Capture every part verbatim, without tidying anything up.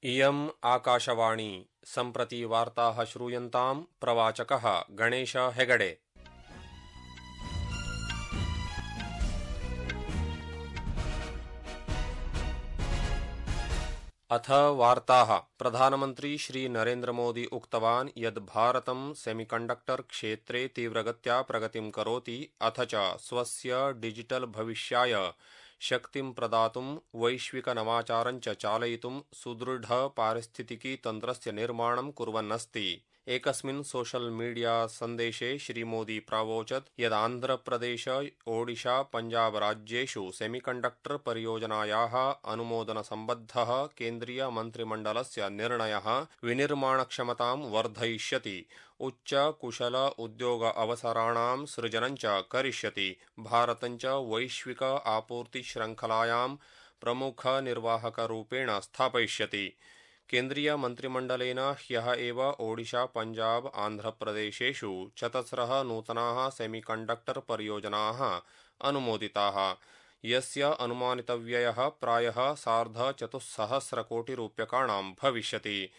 इयम् आकाशवाणी सम्प्रति वार्ताः श्रूयन्ताम् प्रवाचकः गणेश हेगडे। अथ वार्ताः। प्रधानमन्त्री श्री नरेन्द्र मोदी उक्तवान् यत् भारतं सेमीकण्डक्टर क्षेत्रे तीव्रगत्या प्रगतिं करोति, अथ च स्वस्य डिजिटल भविष्याय शक्तिं प्रदातुं वैश्विकनवाचारं च चालयितुं सुदृढ पारिस्थितिकी तन्त्रस्य निर्माणं कुर्वन् अस्ति। एकस्मिन् सोशल मीडिया सन्देशे श्रीमोदी प्रावोचत् यत् आन्ध्रप्रदेश, ओडिशा, पंजाब राज्येषु सेमीकण्डक्टर परियोजनायाः अनुमोदनसम्बद्धः केन्द्रीय मन्त्रिमण्डलस्य निर्णयः विनिर्माणक्षमतां वर्धयिष्यति, उच्च कुशल उद्योग अवसराणां सृजनं च करिष्यति, भारतं च वैश्विक आपूर्ति श्रृंखलायां प्रमुख निर्वाहकरूपेण स्थापयिष्यति। केन्द्रीय मन्त्रिमण्डलेन ह्यः एव ओडिशा, पंजाब, आन्ध्रप्रदेशेषु चतस्रः नूतनाः सेमीकण्डक्टर परियोजनाः अनुमोदिताः, यस्य अनुमानितव्ययः प्रायः सार्धचतुस्सहस्रकोटिरूप्यकाणां भविष्यति।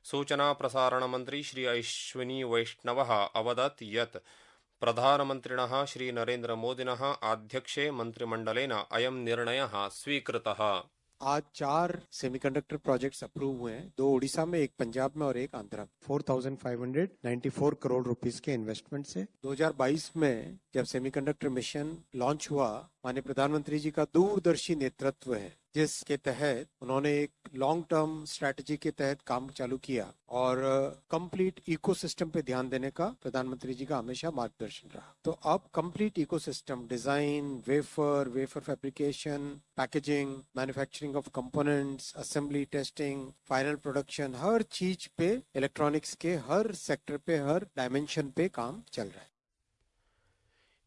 सूचना प्रसारण मन्त्री श्री अश्विनी वैष्णवः अवदत् यत् प्रधानमन्त्रिणः श्री नरेन्द्र मोदिनः आध्यक्षे मन्त्रिमण्डलेन अयं निर्णयः स्वीकृतः। आज चार सेमीकंडक्टर प्रोजेक्ट्स अप्रूव हुए हैं, दो उड़ीसा में, एक पंजाब में और एक आंध्रा। चार हज़ार पाँच सौ चौरानवे करोड़ रुपीस के इन्वेस्टमेंट से दो हज़ार बाईस में जब सेमीकंडक्टर मिशन लॉन्च हुआ, माननीय प्रधानमंत्री जी का दूरदर्शी नेतृत्व है, जिसके तहत उन्होंने एक लॉन्ग टर्म स्ट्रैटेजी के तहत काम चालू किया और कंप्लीट इकोसिस्टम पे ध्यान देने का प्रधानमंत्री जी का हमेशा मार्गदर्शन रहा। तो अब complete ecosystem design, wafer, wafer fabrication, packaging, manufacturing of components, assembly, testing, final production, हर चीज पे, इलेक्ट्रॉनिक्स के हर सेक्टर पे, हर डायमेंशन पे काम चल रहा है।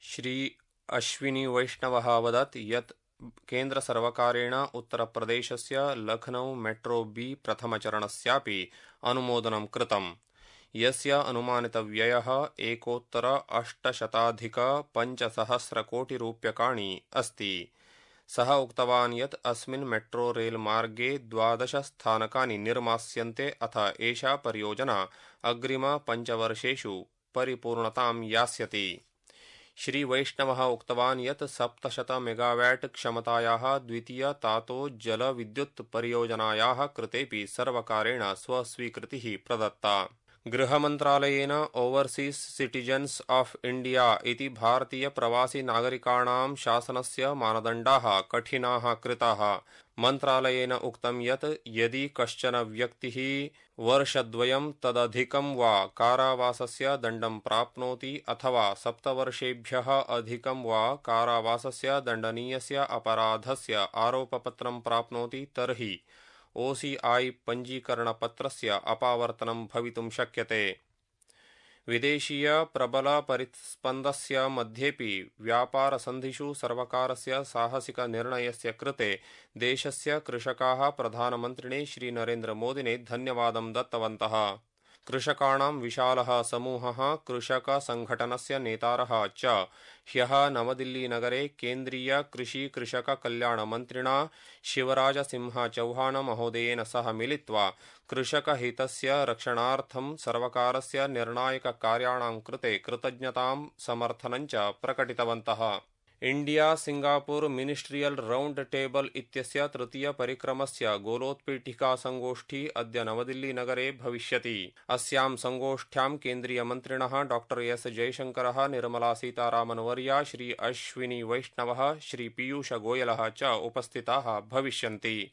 श्री अश्विनी वैष्णवः अवदत् यत् केन्द्र सर्वकारेण उत्तरप्रदेशस्य लखनऊ मेट्रो बी प्रथमचरणस्यापि अनुमोदनं कृतम्, यस्य अनुमानितव्ययः एकोत्तर अष्टशताधिक पञ्चसहस्रकोटिरूप्यकाणि अस्ति। सः उक्तवान् यत् अस्मिन् मेट्रो रेल मार्गे द्वादश स्थानकानि निर्मास्यन्ते, अथ एषा परियोजना अग्रिम पञ्चवर्षेषु परिपूर्णतां यास्यति। श्री वैष्णवः उक्तवान् यत् सप्तशत मेगावाट् क्षमतायाः द्वितीय तातो जल विद्युत् परियोजनायाः कृतेपि सर्वकारेण स्वस्वीकृतिः प्रदत्ता। गृहमन्त्रालयेन ओवरसीस् सिटिजन्स् ऑफ इंडिया इति भारतीय प्रवासी नागरिकाणां शासनस्य मानदण्डाः कठिनाः कृताः। मन्त्रालयेन उक्तं यत् यदि कश्चन व्यक्तिः वर्षद्वयं तदधिकं वा कारावासस्य दण्डं प्राप्नोति अथवा सप्तवर्षेभ्यः अधिकं वा कारावासस्य दण्डनीयस्य अपराधस्य आरोपपत्रं प्राप्नोति, तर्हि ओसीआई पञ्जीकरणपत्रस्य अपावर्तनं भवितुं शक्यते। विदेशीय प्रबल परिस्पन्दस्य मध्येपि व्यापारसन्धिषु सर्वकारस्य साहसिक निर्णयस्य कृते देशस्य कृषकाः प्रधानमन्त्रिणे श्री नरेन्द्र मोदिने धन्यवादं दत्तवन्तः। कृषकाणां विशालः समूहः कृषकसङ्घटनस्य नेतारः च ह्यः नवदिल्लीनगरे केन्द्रीय कृषि कृषक कल्याण मन्त्रिणा शिवराज सिंह चौहान महोदयेन सह मिलित्वा कृषकहितस्य रक्षणार्थं सर्वकारस्य निर्णायककार्याणां कृते कृतज्ञतां समर्थनं च प्रकटितवन्तः। India Singapore ministerial round table इत्यस्य तृतीय परिक्रमस्य गोलोत्पीठिका संगोष्ठी अद्य नवदिल्लीनगरे भविष्यति। अस्यां संगोष्ठ्यां केन्द्रीयमन्त्रिणः डॉक्टर एस जयशंकरः, निर्मला सीतारामन्वर्या, श्री अश्विनी वैष्णवः, श्री पीयूष गोयलः च उपस्थिताः भविष्यन्ति।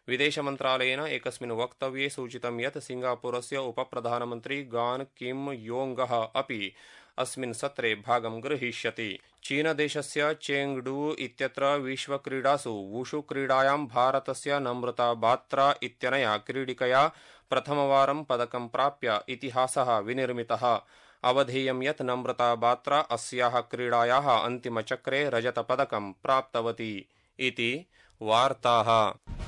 विदेशमन्त्रालयेन एकस्मिन् वक्तव्ये सूचितं यत् सिंगापुरस्य उपप्रधानमन्त्री गान् किम् योङ्गः अपि अस्मिन् सत्रे भागं गृहीष्यति। चीनदेशस्य चेङ्गडू इत्यत्र विश्वक्रीडासु वुशु क्रीडायां भारतस्य नम्रता बात्रा इत्यनया क्रीडिकया प्रथमवारं पदकं प्राप्य इतिहासः विनिर्मितः। अवधेयं यत् नम्रता बात्रा अस्याः क्रीडायाः अन्तिमचक्रे रजतपदकं प्राप्तवती इति। वार्ताः।